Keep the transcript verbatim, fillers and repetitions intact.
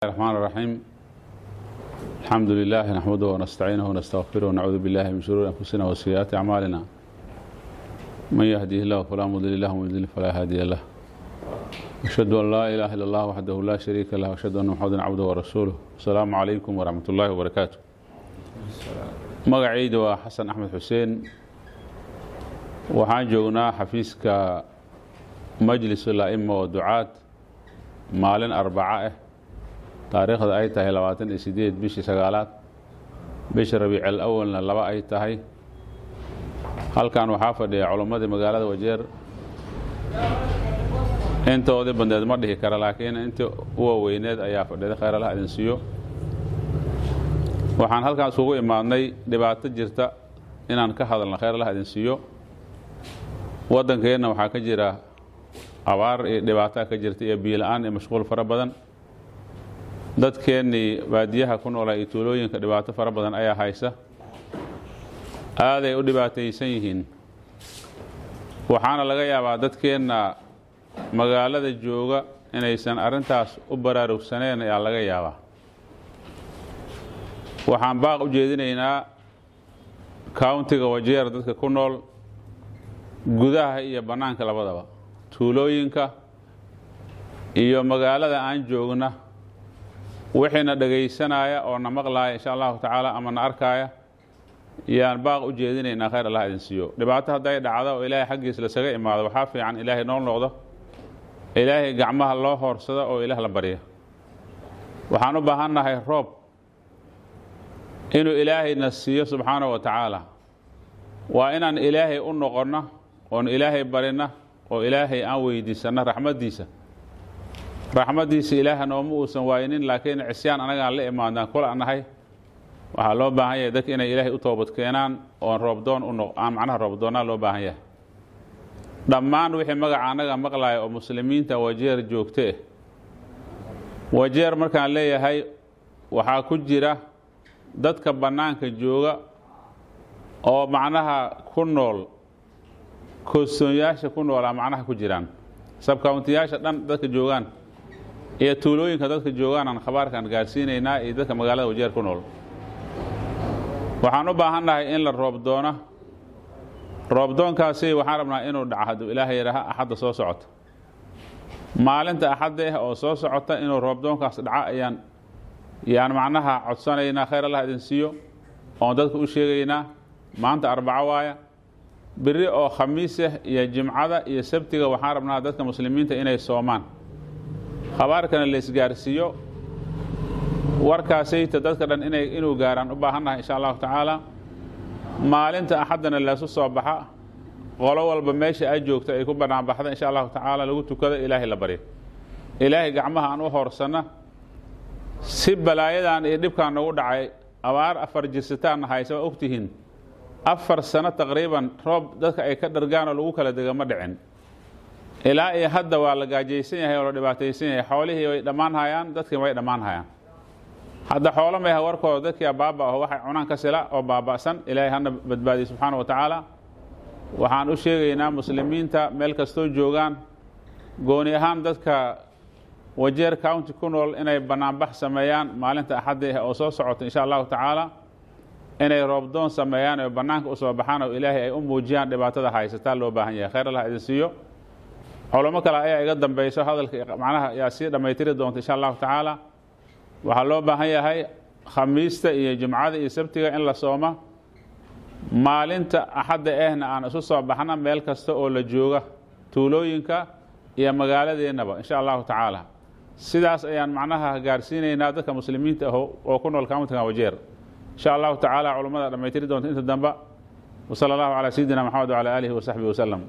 الرحمن الرحيم. الحمد لله نحمده ونستعينه ونستغفره ونعوذ بالله من شرور أنفسنا وسيئات أعمالنا، من يهده الله فلا مضل له ومن يضلل فلا هادي له. أشهد أن لا إله إلا الله وحده لا شريك له، وأشهد أن محمدا عبده ورسوله. السلام عليكم ورحمة الله وبركاته. Magacayda waa Xasan Axmed Xuseen. Waxaan joognaa xafiiska Majlisul A'ima oo ducaad, maalin Arbaco ah, taariikhda ay tahay labaatan iyo sideed bishii sagaalaad, bisha Rabiicil Awalna laba ay tahay. Halkan waxaa fadhiya culammadii magaalada Wajeer intoodii bandeed ma dhihi kara, laakiin intii u waaweyneed ayaa fadhida. Khayr Allah idin siiyo. Waxaan halkaan isugu imaadnay dhibaato jirta inaan ka hadalno. Khayr Allah idin siiyo. Waddankeenna waxaa ka jira abaar iyo dhibaataa ka jirta iyo biyo la'aan iyo mashquul fara badan. Dadkeennii baadiyaha ku noolaa iyo tuulooyinka dhibaato fara badan ayaa haysa, aaday u dhibaataysan yihiin. Waxaana laga yaabaa dadkeenna magaalada jooga inaysan arrintaas u baraarugsaneen ayaa laga yaabaa. Waxaan baaq u jeedinaynaa countiga Wajeer dadka ku nool, gudaha iyo bannaanka labadaba, tuulooyinka iyo magaalada aan joogna, wixiina dhegaysanaya oo na maqlaaya insha Allahu tacaala ama na arkaaya, yaan baaq u jeedinaynaa. Khayr Allah idin siiyo. Dhibaato hadday dhacdo oo Ilaahay xaggiis lasaga imaado, waxaa fiican Ilaahay noo noqdo, Ilaahay gacmaha loo hoorsado oo Ilaah la barya. Waxaan u baahannahay roob inuu Ilaahayna siiyo subxaanahu wa tacaala. Waa inaan Ilaahay u noqonno oon Ilaahay barina oo Ilaahay aan weydiisanno raxmaddiisa. Raxmaddiisa Ilaaha nooma uusan waaynin, laakiin cisyaan anagaan la imaadnaan kula nahay. Waxaa loo baahan yahay dadka inay Ilaahay u toobad keenaan oon roobdoon u noq aan macnaha roobdoonnaa loo baahan yahay. Dhammaan wixii magaca annaga maqlaaya oo muslimiinta Wajeer joogte eh, Wajeer markaan leeyahay waxaa ku jira dadka bannaanka jooga oo macnaha ku nool kostoonyaasha ku noolaa, macnaha ku jiraan subcountiyaasha dhan dadka joogaan iyo tuulooyinka dadka joogaan aan khabaarkaan gaarsiinaynaa, iyo dadka magaalada Wajeer ku nool. Waxaan u baahannahay in la roob doona. Roobdoonkaasi waxaan rabnaa inuu dhaco, hadduu Ilaahay yidhaaha, Axadda soo socota. Maalinta Axadda ah oo soo socota inuu roobdoonkaas dhaco ayaan yaan macnaha codsanaynaa. Khayr Allah idin siiyo. Oon dadka u sheegaynaa, maanta Arbaco waaya, beri oo Khamiis ah iyo Jimcada iyo Sabtiga waxaan rabnaa dadka muslimiinta inay soomaan, khabaarkana la isgaarsiiyo. Warkaasayta dadka dhan inay inuu gaaraan u baahannahay insha Allahu tacaala. Maalinta Axaddana laysu soo baxa, qolo walba meesha ay joogta ay ku bannaan baxda insha Allahu tacaala, lagu tukado, Ilaahay la baryo, Ilaahay gacmaha aan u hoorsanna si balaayadan iyo dhibkaan nagu dhacay. Abaar afar jirsitaanna haysa, waa ogtihiin. Afar sano taqriiban roob dadka ay ka dhargaan oo lagu kala dega ma dhicin. Ilaa iyo hadda waa la gaajaysan yahay oo la dhibaataysan yahay. Xoolihii way dhammaan hayaan, dadkii way dhammaan hayaan. Hadda xoolo mayha warkooda, dadkii baaba aho waxay cunaan ka sila oo baaba'san. Ilaahay hana badbaadiye subxaana wa tacaala. Waxaan u sheegaynaa muslimiinta meel kastoo joogaan, gooni ahaan dadka Wajeer County ku nool, inay bannaanbax sameeyaan maalinta Axadda ah oo soo socota insha Allahu tacaala, inay roobdoon sameeyaan oo bannaanka usoo baxaan oo Ilaahay ay u muujiyaan dhibaatada haysataa loo baahan yahay. Khayr Allah idin siiyo. Culamo kale ayaa iga dambayso hadalka, macnaha yaa sii dhammaytiri doonta insha Allahu tacaala. Waxaa loo baahan yahay Khamiista iyo Jimcada iyo Sabtiga in la sooma, maalinta Axadda ahna aan isu soo baxna meel kasta oo la jooga, tuulooyinka iyo magaaladeennaba insha Allahu tacaala. Sidaas ayaan macnaha gaarsiinaynaa dadka muslimiinta ah oo ku nool countiga Wajeer insha Allahu tacaala. Culummada dhammaytiri doonta inta dambe. Wasala Allahu calaa sayidina Maxamed wacala aalihi wasaxbihi wasalam.